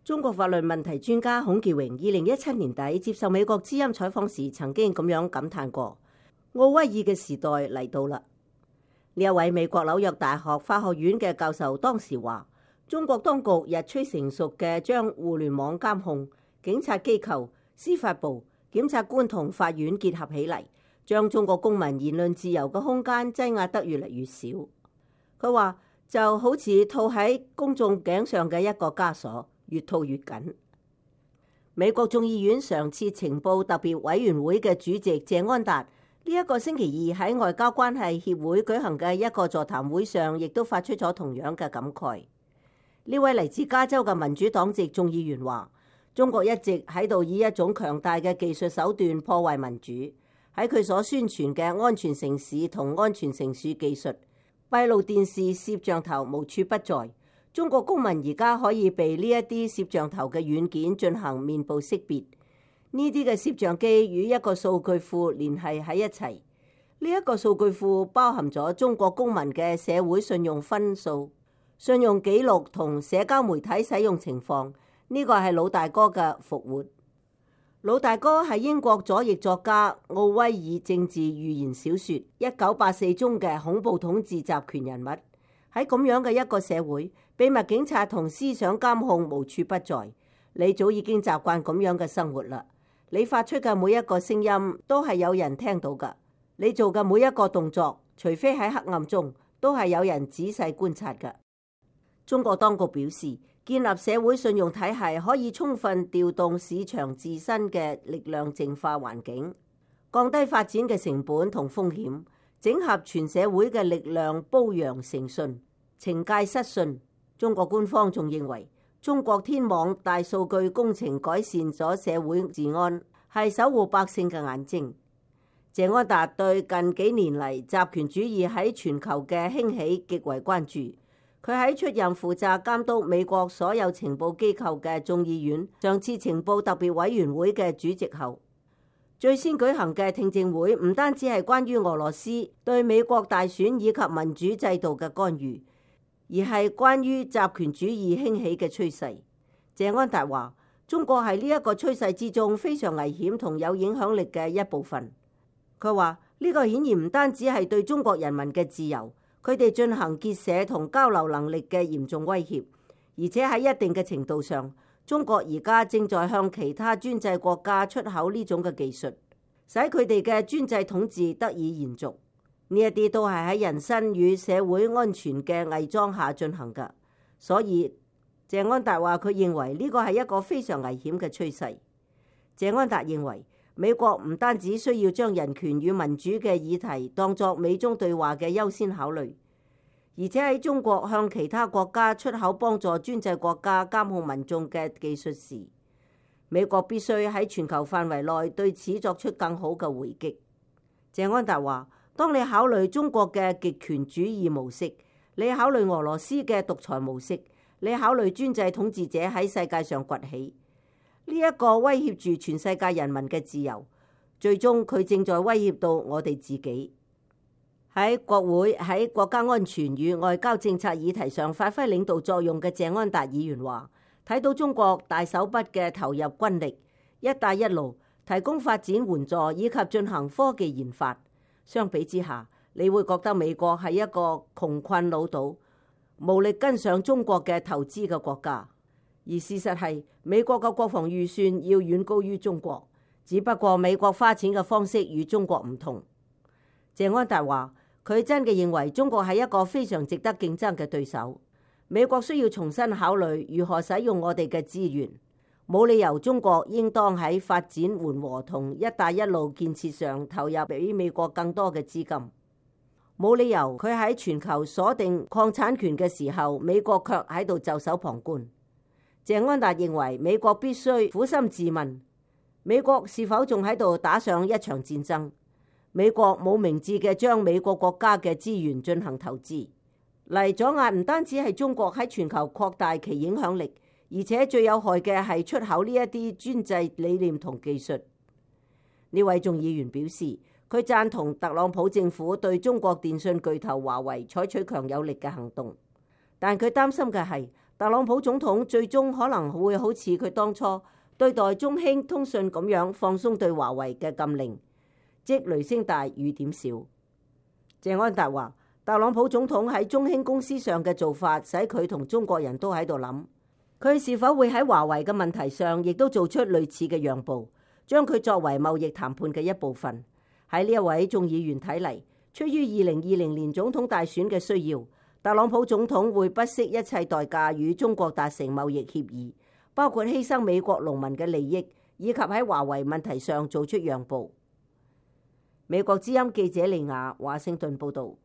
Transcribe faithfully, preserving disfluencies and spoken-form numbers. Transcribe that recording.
中國法律問題專家孔傑榮二零一七年底接受美國之音採訪時，曾經咁樣感嘆過：奧威爾嘅時代嚟到啦。呢一位美國紐約大學法學院嘅教授當時話：中國當局日趨成熟嘅將互聯網監控、警察機構、司法部、檢察官同法院結合起嚟，將中國公民言論自由嘅空間擠壓得越嚟越少。佢話就好似套喺公眾頸上嘅一個枷鎖，越套越緊。美國眾議院常設情報特別委員會嘅主席謝安達呢一個星期二喺外交關係協會舉行嘅一個座談會上，亦都發出咗同樣嘅感慨。呢位嚟自加州嘅民主黨籍眾議員話：中國一直喺度以一種強大嘅技術手段破壞民主。喺佢所宣傳嘅安全城市同安全城市技術，閉路電視攝像頭無處不在。中國公民而家可以被呢一啲攝像頭嘅軟件進行面部識別。呢啲嘅攝像機與一個數據庫聯繫喺一齊。呢一個數據庫包含咗中國公民嘅社會信用分數、信用記錄同社交媒體使用情況。呢個係老大哥嘅復活。老大哥係英國左翼作家奧威爾政治寓言小說《一九八四》中嘅恐怖統治集權人物。喺咁樣嘅一個社會，秘密警察同思想監控無處不在。你早已經習慣咁樣嘅生活啦。你發出嘅每一個聲音都係有人聽到㗎。你做嘅每一個動作，除非喺黑暗中，都係有人仔細觀察㗎。中國當局表示，建立社會信用體系可以充分調動市場自身嘅力量淨化環境，降低發展嘅成本同風險，整合全社會嘅力量，褒揚誠信，懲戒失信。中國官方仲認為，中國天網大數據工程改善咗社會治安，係守護百姓嘅眼睛。謝安達對近幾年嚟集權主義喺全球嘅興起極為關注。佢喺出任負責監督美國所有情報機構嘅眾議院上次情報特別委員會嘅主席後，最先舉行嘅聽證會唔單止係關於俄羅斯對美國大選以及民主制度嘅干預，而係關於集權主義興起嘅趨勢。謝安達話：中國係呢一個趨勢之中非常危險同有影響力嘅一部分。佢話呢個顯然唔單止係對中國人民嘅自由，佢哋進行結社同交流能力嘅嚴重威脅，而且喺一定嘅程度上，中國而家正在向其他專制國家出口呢種嘅技術，使佢哋嘅專制統治得以延續。呢一啲都係喺人身與社會安全嘅偽裝下進行㗎。所以謝安達話佢認為呢個係一個非常危險嘅趨勢。謝安達認為美國唔單止需要將人權與民主嘅議題當作美中對話嘅優先考慮，而且喺中國向其他國家出口幫助專制國家監控民眾嘅技術時，美國必須喺全球範圍內對此作出更好嘅回擊。謝安達話：當你考慮中國嘅極權主義模式，你考慮俄羅斯嘅獨裁模式，你考慮專制統治者喺世界上崛起，呢一個威脅住全世界人民嘅自由，最終佢正在威脅到我哋自己。喺國會喺國家安全與外交政策議題上發揮領導作用嘅謝安達議員話：睇到中國大手筆嘅投入軍力，一帶一路提供發展援助以及進行科技研發，相比之下，你會覺得美國係一個窮困潦倒、無力跟上中國嘅投資嘅國家。而事實係，美國嘅國防預算要遠高於中國，只不過美國花錢嘅方式與中國唔同。謝安達話：佢真嘅認為中國係一個非常值得競爭嘅對手。美國需要重新考慮如何使用我哋嘅資源，冇理由中國應當喺發展緩和同一帶一路建設上投入比美國更多嘅資金。冇理由佢喺全球鎖定礦產權嘅時候，美國卻喺度袖手旁觀。謝安達認為美國必須苦心自問，美國是否仲喺度打上一場戰爭？美國冇明智嘅將美國國家嘅資源進行投資，嚟阻壓唔單止係中國喺全球擴大其影響力，而且最有害嘅係出口呢一啲專制理念同技術。呢位眾議員表示，佢贊同特朗普政府對中國電信巨頭華為採取強有力嘅行動，但佢擔心嘅係特朗普總統最終可能會好似佢當初對待中興通訊咁樣放鬆對華為嘅禁令，即雷聲大雨點小。謝安達話，特朗普總統喺中興公司上嘅做法，使佢同中國人都喺度諗，佢是否會喺華為嘅問題上亦都做出類似嘅讓步，將佢作為貿易談判嘅一部分。喺呢一位眾議員睇嚟，出於二零二零年總統大選嘅需要，特朗普總統會不惜一切代價與中國達成貿易協議，包括犧牲美國農民嘅利益，以及喺華為問題上做出讓步。美國之音記者利亞華盛頓報道。